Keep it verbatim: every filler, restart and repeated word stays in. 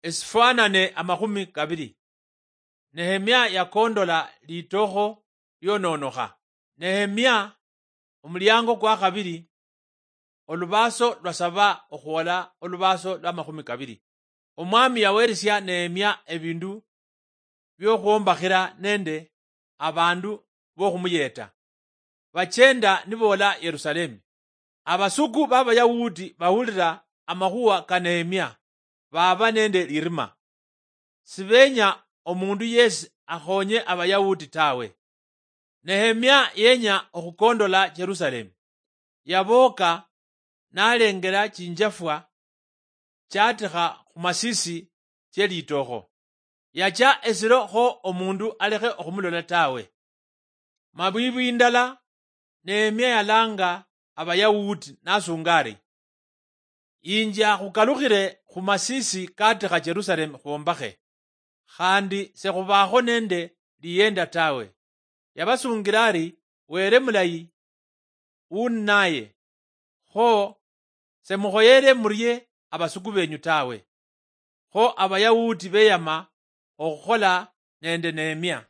Esifwanane amakhumi kabili. Nehemia yakondola litokho liononokha. Nehemia, omuliango kwa khabili, olubaaso lwa saba okhwola olubaaso lwa makhumi kabili. Omwami yaweresia Nehemia ebindu biokhwombakhira nende abandu bokhumuyeta. Bachenda niboola Yerusalemu. Abasuku b'Abayahudi bawulira amakhuwa ka Nehemia, baaba nende lirima. Sibeenya omundu yesi akhonye Abayahudi tawe. Nehemia yenya okhukondola Jerusalemu. Yabooka nalengela chinjafwa chatikha khumasisi che litokho. Yacha esiro kho omundu alekhe okhumulola tawe. Mabwibwi ndala, Nehemia yalanga Abayahudi nasunga ari, "Inja khukalukhile khumasisi katikha Jerusalemu khwombakhe, khandi sekhubaakho nende liyenda tawe." Yabasungila ari, "Wele mulayi, unaye, kho semukhoyele murie abasuku benyu tawe." Kho Abayahudi beyama okhukhola nende Nehemia.